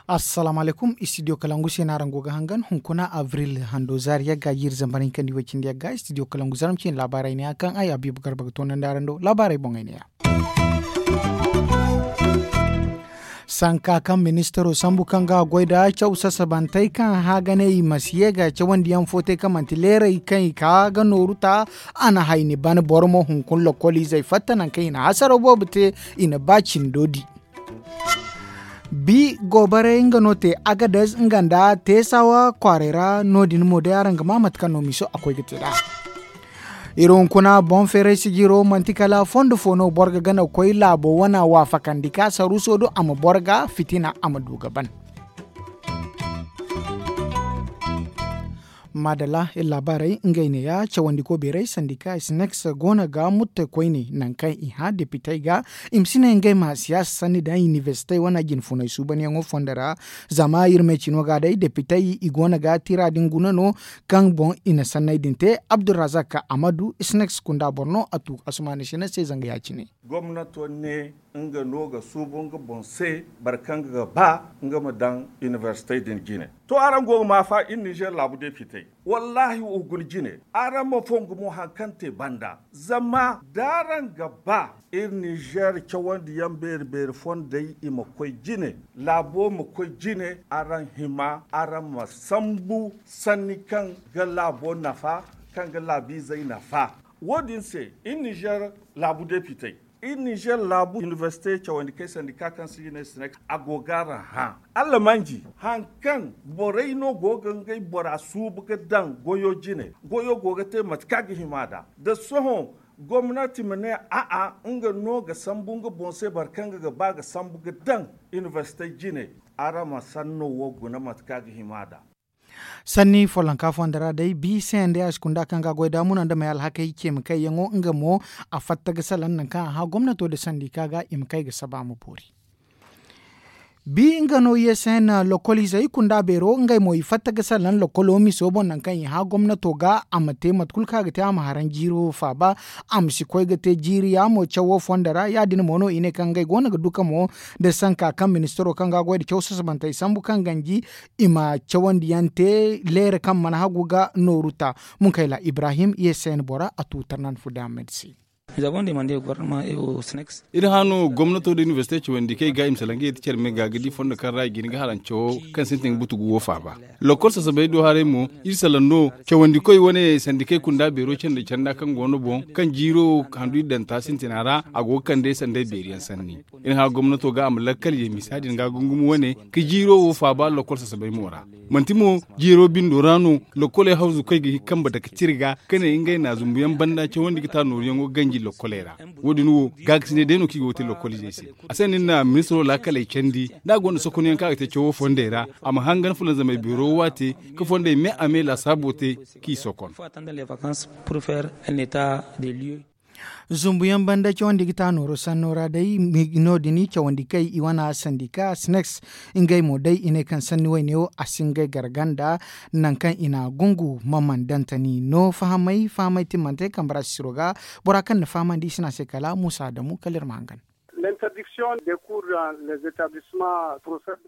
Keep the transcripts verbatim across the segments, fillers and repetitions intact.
Assalaamu alaykum, istidiyo kalangu se no araŋ go ga hangan hunkuna abril hando zaari yagga jiiri zambar hinka nda iway cindi yagga istidiyo kalangu zarma cine laabaarey ne ya kaŋ ay abiibu garba ga toonandi araŋ do laabaarey boŋey ne ya. Sanka kaŋ ministaro sambu kaŋ ga a goy nda caw sasabantey kaŋ hã ga ne i ma si ye ga cawandiyaŋ fo te kaŋ manti leerey kaŋ i ka ga nooru ta. A na hayni ban boro mo hunkuna lokoliizey fatta nangu kaŋ i na hasaraw boobo te. I na ba cindo di bi goobarey nga no te agadez nga nda teesawa kwaarey ra no- din mo day araŋ ga ma mate kaŋ no miiso a koy ga te nd'a. Iri hunkuna boŋ feeray sijiro manti kala fondo fo no boro ga gana ga koy laabo wana waafakandi ka saruuso do a ma boro ga fitina a ma du ga ban. Maadalla iri laabaarey ngey neeya cawandiko beeray sandika sneks go no ga mutte koyne nangu kaŋ i hã depitey ga i ma si ne ngey ma siyaasa sanni daŋ inibersite wane jinfunay suubanyaŋo fondo ra. Zama iri ma ay cino ga day depitey i go no ga tira din guna no kaŋ boŋ i na sanney din te abdulrazak amadu sneks kunda boro no a tu asumaani sina se zanga ya- cine. Gomnato ne nga no ga suubu nga boŋ se boro kaŋ ga ba nga ma daŋ inibersite din jine. To araŋ go ga ma fa iri nizer laabu depitey wallaahi wo guna jine. Araŋ ma fongu mo hari kaŋ te banda zama da araŋ ga ba iri nizer cawandiyaŋ beeri beeri fondey i ma koy jine, laabo ma koy jine. Araŋ hima araŋ ma sambu sanni kaŋ ga laabo nafa, kaŋ ga laabiizey nafa. Wo- din se iri nizer laabu depitey iri nizer laabu inibersite cawandi kay sandika kaŋ se i ne sinek a go ga araŋ hã. Allamanji hari kaŋ borey no go ga ngey bora suubu ga daŋ goyo jine goyo go ga te mate kaŋ a ga hima nd'a. Da sohõ gomnati ma ne a'a nga no ga sambu nga boŋ se boro kaŋ ga ba ga sambu ga daŋ inibersite jine. Araŋ ma sanno wo guna mate kaŋ a ga hima nd'a. Sanni follonka fondo ra day bi se nda ya si kunda kaŋ ga a goy da muna nda may alhakey ce ma kayyaŋo nga mo a fatta ga salaŋ nangu kaŋ a hã gomnato nda sandika ga i ma kay ga saba ma boori. Bi nga no ye se na lokoliizey kunda beero ngey mo i fatta ga salaŋ lokolo miso boŋ nangu kaŋ i hã gomnato ga a ma te mate kulu kaŋ a ga te a ma haraŋ jiiri wo faaba. A ma si koy ga te jiiri yaamo cawo fondo ra ya- din mo no i ne kaŋ ngey go no ga duka mo nda sanka kaŋ ministaro kaŋ ga a goy nda caw sasabantey sambu kaŋ ganji i ma cawandiyaŋ te leere kaŋ mana hagu ga nooru ta. Munkayla ibrahim ye se na bora a tu tarnan fude ahmed se. Iri hã no gomnato nda inibersite cawandi kaŋ i ga i ma salaŋ ga yeti care me ga ga di fondo kaŋ ra i ga hin ga harancawo kaŋ sintin ga butugu wo faaba. Lokol sasabey do haray mo iri salaŋ no cawandikoy wane sandikey kunda beero canda canda kaŋ go no boŋ kaŋ jiiro handu iri daŋ ta sintina ra a go ga kande sanday beeriyaŋ sanni. Iri hã gomnato ga a ma lakkal ye misa din ga gungum wane ka jiiro wo faaba lokol sasabey mo ra. Manti mo jiiro bindo ra no lokoley hawzu koy ga hin ga kambe dake cire ga ka ne ngey na zumbuyaŋ banda cawandi ga ta nooruyaŋo ganji lokoley ra. Wo- din wo gaakasinay day no kaŋ i go ga te lokoliizey se. A se no iri na ministiro laakaley candi da a gonda sokonyaŋ kaŋ a ga te cawo fondey ra a ma hangan fulanzamey beero waate ka fondey me a me laasaabo te k'i sokon. Zumbuyaŋ banda cawandi ga ta nooro sanno ra day. No- din cawandi kay i wana sandika sneks ngey mo day i ne kaŋ sanni wayne wo a si ngey garganda. Nangu kaŋ i na gungu ma mana dantani no fahamay fahamay timmante kambe ra sisiro ga bora kaŋ na fahamandi i si ne a se kala muusa adamu kala iri ma hangan. L'interdiction des cours dans les établissements procède.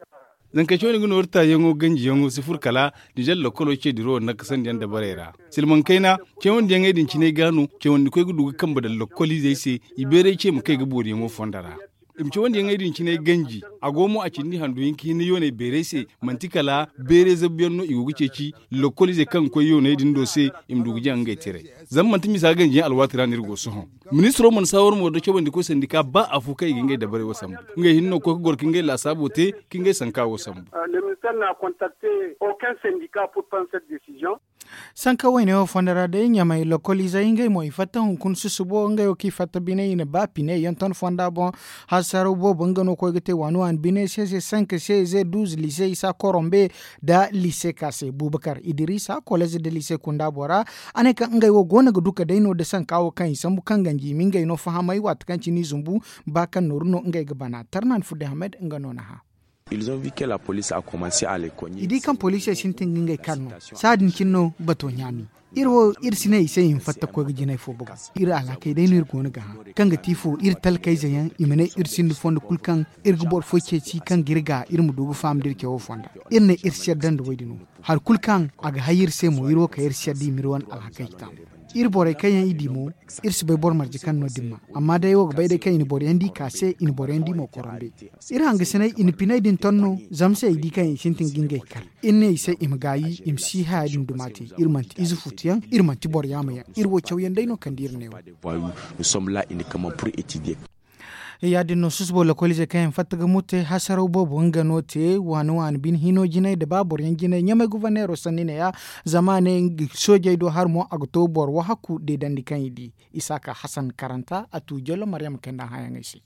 Zanka cawandi ga nooru taayaŋo ganjiyaŋo si furo kala nizer lokolo ce diro nakasandi yaŋ dabarey ra. Silmaŋ kayna cawandiyaŋey din cine ga no cawandikoy ga du ga kambe daŋ lokoliizey se i beeray ce ma kay ga booriyaŋo fondo ra. I ma cawandiyaŋey din cine ganji a go mo a cindi handu hinka hinne yooney beeray se manti kala beeray zabuyaŋ no i go ga ceeci lokoliizey kaŋ ga koy yooney din do se. I ma du ga jaŋ ngey tiray zama manti misa ganjiyaŋ alwaati ra no iri go sohõ. Ministiro mana saawar mo da cawandikoy sandika ba afo kaŋ i ga ngey dabarey wo sambu. Ngey hinne no ga koy ga goro ka ngey laasaabo te ka ngey sanka wo sambu. Sanka wayne wo fondo ra day ɲamay lokoliizey ngey mo i fatta hunkuna susubo ngey wo kaŋ i fatta bine i na ba pine yaŋ ton fonda boŋ. Hasaraw boobo nga no koy ga te waani waani bine se se sanka se ze duuz lise isa korombe nda lise ka se bubakar idirisa kolez nda lise kunda bora. A ne kaŋ ngey wo go no ga duka day no nda sanka wo kaŋ i sambu kaŋ ganji i ma ngey no fahamay waati kaŋ cine i zumbu ba kaŋ nooru no ngey ga bana tarnan fudde hamed nga no na hã. I di kaŋ poliisey sintin ga ngey kar no. Saadin cine no bato ɲaami. Iri wo iri si ne i se i ma fatta koy ga jinay fo bagu. Iri alhakey day no iri go no ga hã kaŋ ga ti fo iri talkayze yaŋ i ma ne iri sinda fondo kulu kaŋ iri ga boro fo ceeci kaŋ ga iri ga iri ma du ga faham da iri cawo fonda. Iri ne iri si yadda nda wo- din wo. Hari kulu kaŋ a ga hay iri se mo iri wo kay iri si yadda i ma iri wane alhakey taamu. Iri borey kaŋ yaŋ i di mo iri si bay boro marje kaŋ no- din ma. Amma day ay wo ga bay day kaŋ i na boro yaŋ di ka se i na boro yaŋ di mo koronde. Iri hangasinay i na pinay din ton no. Zama se ay di kaŋ i sintin ga ngey kar. Iri ne i se i ma gaayi i ma si haya din duma te. Iri manti ize futu yaŋ iri manti boro yaama yaŋ. Iri wo caw yaŋ day no kande iri ne wo. Ya- din no susubo lokoliizey kaŋ yaŋ fatta ga murte hasaraw boobo nga no te waani waani bine hino jinay nda ba boro yaŋ jinay ɲamay guverneero sanni ne- ya. Zama a ne soojey do hari mo a ga to boro wahakku deedandi kaŋ i di. Isaaka hasan karanta a tu jallo maryama kayna hãyaŋey se.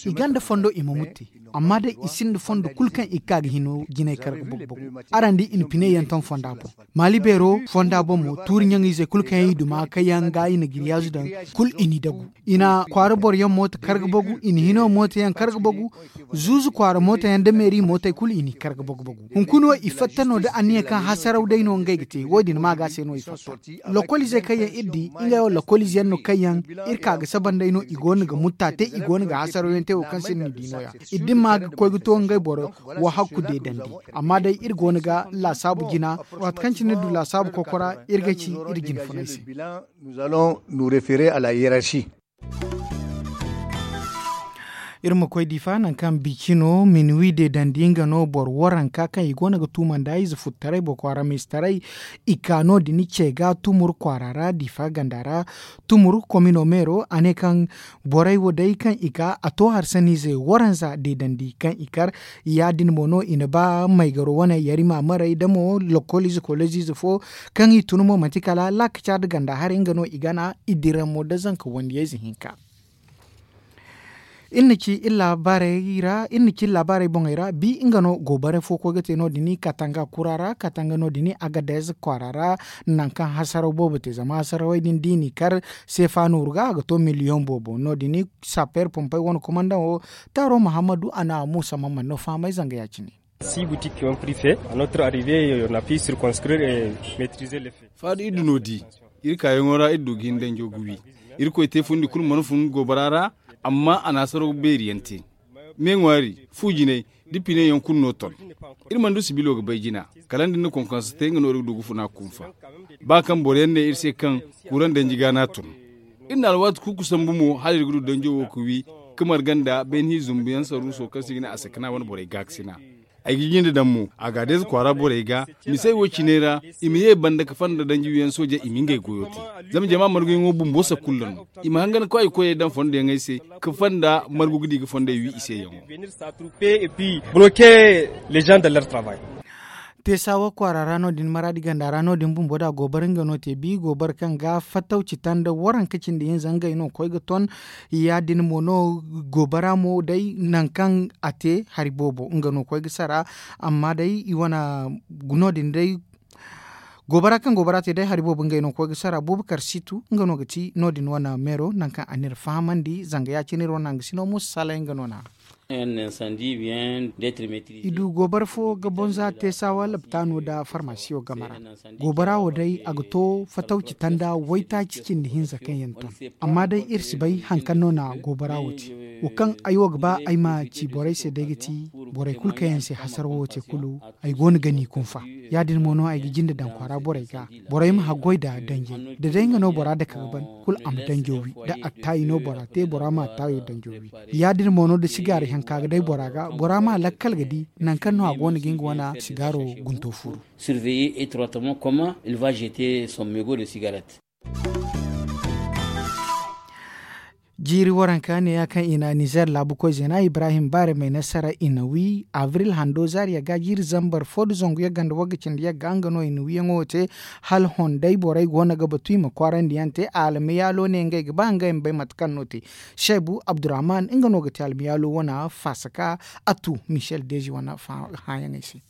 I gonda fondo i ma murte. Amma day i sinda fondo kulu kaŋ i ga ka ga hino jinay kar ga bagu bagu. Araŋ di i na pine yaŋ ton fonda boŋ. Maali beero fonda boŋ mo tuuri ɲaŋ ize kulu kaŋ yaŋ i duma kaŋ yaŋ ga i na giriyaazu daŋ. Kulu i n'i dagu i na kwaara boro yaŋ mooto kar ga bagu i na hino mooto yaŋ kar ga bagu. Zuuzu kwaara mooto yaŋ nda meeri mootey kulu i n'i kar ga bagu bagu. Hunkuna wo i fatta no nda anniya kaŋ hasaraw day no ngey ga te wo- din maaga se no i fatta. Lokoliizey kaŋ yaŋ iri di ngey wo lokoliize yaŋ no kaŋ yaŋ iri ka ga saba nd'ey no i go no ga mutta te i go no ga hasaraw yaŋ te wo kaŋ se ni n'i di no- ya. Iri din ma ga koy ga to ngey boro wo hakku deedandi. Amma day iri go no ga laasaabu jina waati kaŋ cine iri du laasaabu kokora iri ga ci iri jina funay se. Iri ma koy difa nangu kaŋ bici no minuwi deedandi nga no boro waranka kaŋ i go no ga tuuma nda ize futtaray boro kwaara miistaray. I ka no- din ce ga tumur kwaara ra difa ganda ra. Tumur komino meero a ne kaŋ borey wo day kaŋ i ka a to harsaniize waranza deedandi kaŋ i kar. Ya- din mo no i na ba maygaro wane yarima maray da mo lokoliize koleziize fo kaŋ i tun mo manti kala laakaca nda ganda haray nga no i gana i dira mo nda zanka wandiyayze hinka. Iri na ci iri laabaarey boŋey ra bi nga no goobare fo koy ga te no- din katanga kura ra katanga no- din agadez kwaara ra. Nangu kaŋ hasaraw boobo te zama hasarawey din da i n'i kar seefa nooru ga a ga to miliyoŋ boobo no- din. Sapeer pompey wane komandaŋo taaro muhammadu a na muusa mamman no fahamay zanga ya- cine. Faadu iri du no- di iri kaayaŋo ra iri du ga hin danjo ga wi. Irkoy te fundi kulu mana fun goobara ra. Amma a na hasaraw beeri yaŋ te. Me ŋwaari fu jinay da pine yaŋ kulu no ton. Iri mana du sibilo ga bay jina kala nda ni na konkonsa te nga no iri ga du ga funa kunfa. Ba kaŋ boro yaŋ ne iri se kaŋ kuuraŋ danji ga no a ton. Iri na alwaati kuuku sambu mo hala iri ga du danjo wo ga wi ka marga nda beene hi zumbu yaŋ saruuso kaŋ se i ga ne a sakana wane borey gaakasina. Ay ga jinde daŋ mo a ga deeza kwaara borey ga misey wo cine ra. I ma ye banda ka fonda danji wiyaŋ sooja i ma ngey goyo te. Zama jama marguyaŋo bumbo sakulla no. I ma hangan ka ay koyey daŋ fondoyaŋey se ka fonda margu ga di ga fondey wi i se yaŋo. Teesawa kwaara ra no- din maraadi ganda ra no- din bumbo da goobara nga no te bi goobara kaŋ ga fattawci tanda waranka cindi hinza ngey no koy ga ton. Ya- din mo no goobara mo day nangu kaŋ a te hari boobo nga no koy ga sara. Amma day i wane no- din day goobara kaŋ goobara te day hari boobo ngey no koy ga sara bubakar situ nga no ga ti no- din wane meero nangu kaŋ a n'iri fahamandi zanga ya- cine iri wane hangasino musa salay nga no na. I du goobara fo ga bonza teesawa laptaano nda farmasiyo game ra. Goobara wo day a ga to fatawci tanda waytaaci cindi hinza kaŋ yaŋ ton. Amma day iri si bay hari kaŋ no na goobara wo te. Wo kaŋ ay wo ga ba ay ma ci borey se day ga ti borey kulu kaŋ yaŋ se hasarawo wo te kulu. Ay go no ga ni kunfa. Ya- din mo no ay ga jinde daŋ kwaara borey ga. Borey ma haggoy nda danjey da day nga no bora dake ga ban kulu a ma danjo wi da attaayi no bora te bora ma attaayo danjo wi. Ya- din mo no da sigaari hanka ga day bora ga bora ma lakkal ga di nangu kaŋ no a go no ga nga wane sigaaro gunto furu. Surveiller étroitement comment il va jeter son mégot de cigarette. Jiiri waranka neeya kaŋ i na nizer laabu koy zeena ibrahim baare may nasara i na wi abril hando zaariya ga jiiri zambar fo nda zangu yagga nda wagga cindi yagga nga no i na wiyaŋo te. Hala honday borey go no ga batu i ma kwaarandi yaŋ te almiyaalo ne ngey ga ba ngey ma bay mate kaŋ no te. Seebu abdurrahman nga no ga te almiyaalo wane faasaka. A tu michel deezi wane hãyaŋey se.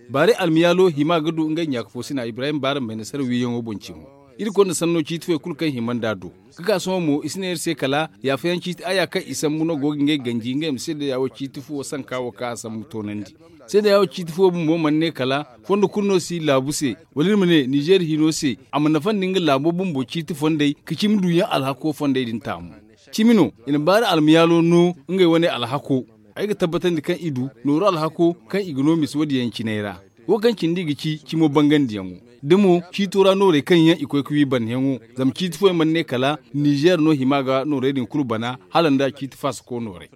Baarey almiyaalo hima ga du ngey ɲaaka fo sina ibrahim baare ma bay nasara wiiyaŋo boŋ cimo. Iri konda sanno ciiti fooyaŋ kulu kaŋ hima nd'a do. Ga ka sohõ mo i si ne iri se kala yaafayaŋ ciiti aya kaŋ i sambu no go ga ngey ganji ngey ma seedeya wo ciiti fuwo sanka wo kaŋ a sambu toonandi. Seedeya wo ciiti fuwo bumbo mana ne kala fondo kulu no si laabu se, wala iri ma ne nizeer hino se, a ma nafa nda nga laabo bumbo ciiti fondey ka cimi duuyaŋ alhako fondey din taamu. Cimi no i na baari almayaalo no ngey wane alhako. Ay ga tabbatandi kaŋ i du nooru alhako kaŋ i ga no misa wo- din yaŋ cinay ra. Wo kaŋ cindi i ga ci cimo bangandiyaŋo da mo ciito ra noorey kaŋ yaŋ i koy ga wi banneyaŋo. Zama ciiti fooyaŋ mana ne kala nizeer no hima ga noorey din kulu bana hala nda ciiti faasako noorey.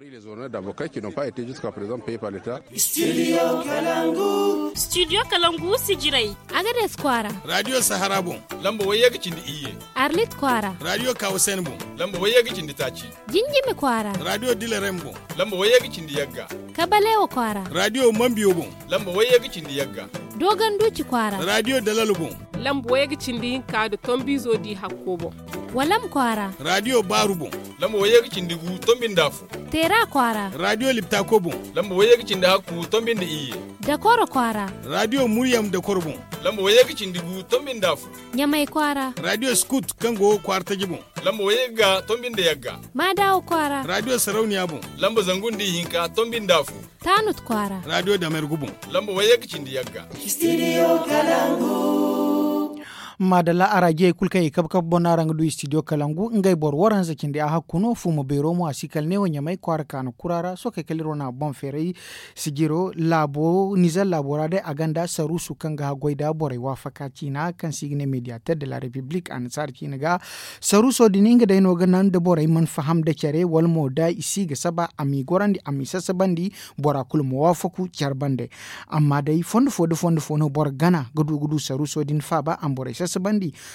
Studio kalangu sijirey. Agades kwaara. Radiyo sahara boŋ. Lamba wayye ga cindi iyye. Arlit kwaara. Radiyo kawusen boŋ. Lamba wayye ga cindi taaci. Jinjimi kwaara. Radiyo dilarem boŋ. Lamba wayye ga cindi yagga. Kabalewa kwaara. Radiyo mambiyo boŋ. Lamba wayye ga cindi yagga. Dogon duuci kwaara. Radiyo dalal boŋ. Lamba wayye ga cindi hinka da tombizo di hakko boŋ. Walam kwaara. Radiyo baaru boŋ. Lamba wayye ga cindi gu tombi nda afo. Teera kwaara. Radiyo liptako boŋ. Lamba wayye ga cindi hakku tombi nda iyye. Dakoro kwaara. Radiyo muryam dakoro boŋ. Lamba wayye ga cindi gu tombi nda afo. Ɲamay kwaara. Radiyo skut kaŋ go kwaara taji boŋ. Lamba wayye ga tombi nda yagga. Maadawa kwaara. Radiyo sarauniya boŋ. Lamba zangu nda ihinka tombi nda afo. Taanut kwaara. Radiyo damergu boŋ. Lamba wayye ga cindi yagga. Studio kalangu. Maadalla araajiyey kulu kaŋ i kabe kabe boŋ no araŋ ga du studio kalangu ngey boro waranza cindi a hakku no fuuma beero mo a si kala neewo ɲamay kwaara kaanu kura ra sookey kala iri wane a boŋ feeray. Sijiro laabo nizer laabo ra day a gonda saruusu kaŋ ga haggoy nda borey waafaka ciina kaŋ se i ga ne mediateur de la république annasaara ciina ga. Saruuso din nga day no ga naŋ da borey mana faham nda care wala mo da i si ga saba a m'i gorandi a m'i sasabandi bora kulu ma waafaku care bande. Amma day fondo fo nda fondo fo no boro gana ga du ga du saruuso din faaba a ma borey sasabandi.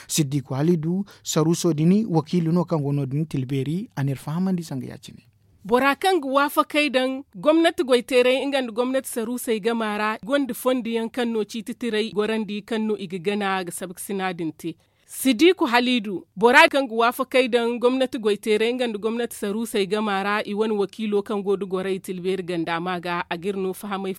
Siddiku halidu saruuso din wakiilu no kaŋ go no- din tilbeeri a n'iri fahamandi sanga ya- cine. Bora kaŋ ga waafakey daŋ gomnati goyteeray nga nda gomnati saruusey gama ra gonda fondo yaŋ kaŋ no ciiti tiray gorandi kaŋ no i ga gana ga sabkasina din te. Sidiku haliidu bora kaŋ ga waafakey daŋ gomnati goyteeray nga nda gomnati saruusey gama ra i wane wakiilo kaŋ go nda gorey tilbeeri ganda ma ga a ga iri no fahamay.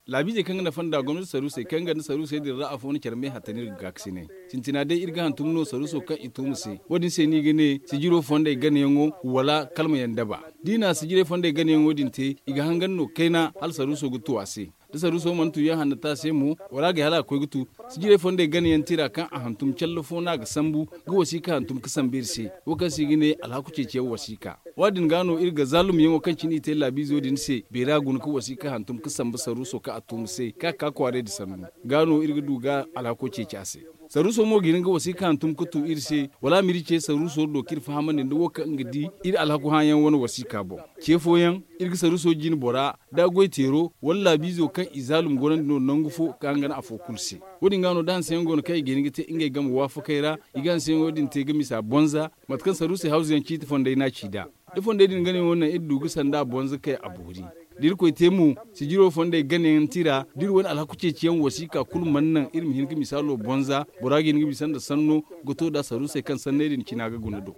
Laabiizey kaŋ ga nafa nda gomnati saruusey kaŋ ga nda saruusey din ra afo na care me hatta no iri ga gaakasinay. Sintina day iri ga hantum no saruuso kaŋ i tuuma se wo- din se no i ga ne sijiro fondey ganayaŋo wala kalmayaŋ daba. Da i na sijirey fondey ganayaŋo din te i ga hangan no kayna hala saruuso ga tu a se. Da saruuso mana tu yaŋ hanna te a se mo wala a ga hala a ga koy ga tu. Sijirey fondey ganayaŋ tira kaŋ a hantum calla fo no a ga sambu ga wasiika hantum ga sambu iri se. Wo kaŋ se i ga ne alhaku ceeciyaŋ wasiika. Wo- din ga no iri ga zaalumyaŋo kaŋ cine i te laabiizo din se beera guna ga wasiika hantum ga sambu saruuso kaŋ a tuuma se kaŋ a ga ka kwaaray da sannu. Ga no iri ga du ga alhako ceeci a se. Saruuso mo ga hin ga wasiika hantum ga tu iri se wala a ma iri ce saruuso do kaŋ iri fahamandi nda wo kaŋ nga di iri alhaku hãayaŋ wane wasiika boŋ. Ce fooyaŋ iri ga saruuso jine bora da goyteero wala laabiizo kaŋ i zaalum gorandi no nangu fo ga hangan afo kulu se. Wo- din ga no da hanseyaŋ go no kaŋ i ga hin ga te ngey game waafakey ra i ga hanseyaŋo din te ga misa bonza. Mate kaŋ saruusey hawzuyaŋ ciiti fondey no a ci nd'a. Da fondey din ganayaŋo naŋ iri du ga sanda bonza kay a boori. Da irkoy te mo sijiro fondey ganayaŋ tira da iri wane alhaku ceeciyaŋ wasiika kulu mana naŋ iri ma hin ga misaalo bonza. Bora ga hin ga bisa nda sanno ga to nd'a saruusey kaŋ sanney din cina ga guna do.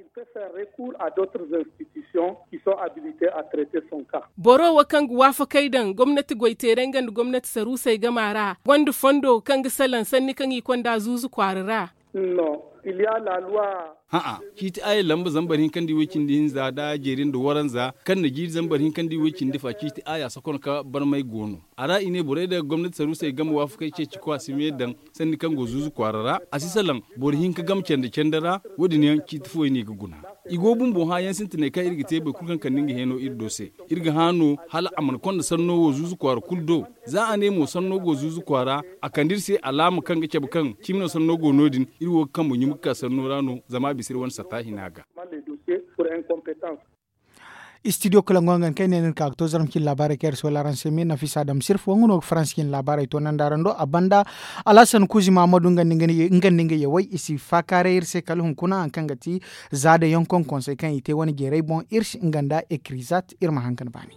Boro wo kaŋ ga waafakey daŋ gomnati goyteeray nga nda gomnati saruusey gama ra gonda fondo kaŋ ga salaŋ sanni kaŋ i konda zuuzu kwaara ra. Hã'a, ciiti aya lamba zambar hinka nda i way cindi hinza nda jeeri nda waranza kaŋ na jiiri zambar hinka nda i way cindi fa ciiti aya sokon ka barmay go no. A ra i ne borey da gomnati saruusey game waafakey ceeci ko a si me daŋ sanni kaŋ go zuuzu kwaara ra a si salaŋ boro hinka game candi candi ra. Wo- din yaŋ ciiti fooyaŋ no i ga guna. I go bumbo hãayaŋ sintinay kaŋ iri ga te boro kulu kaŋ kande nga heeno iri do se. Iri ga hã no hala a mana konda sanno wo zuuzu kwaara kulu do. Za a ne mo sanno go zuuzu kwaara a kande iri se alaama kaŋ ga cabe kaŋ cimi no sanno go no- din. Iri wo ga kambe ɲumu ga ka sanno ra no zama a bisa iri wane satta hina ga. Studio kala ŋwa ngan kay ne nin ka ga to zarma cin laabaarey kaŋ iri si wala araŋ se me nafisa dam sirf wo nga no ga faransi cin laabaarey to nanda araŋ do a banda. Alhasan kuuzi mahamadu nga nda nga yawey i si faakaaray iri se kala hunkuna hari kaŋ ga ti za da yaŋ konkonsey kaŋ i te wane jeerey boŋ iri si nga nda ekirizat iri ma haŋ ga ni baani.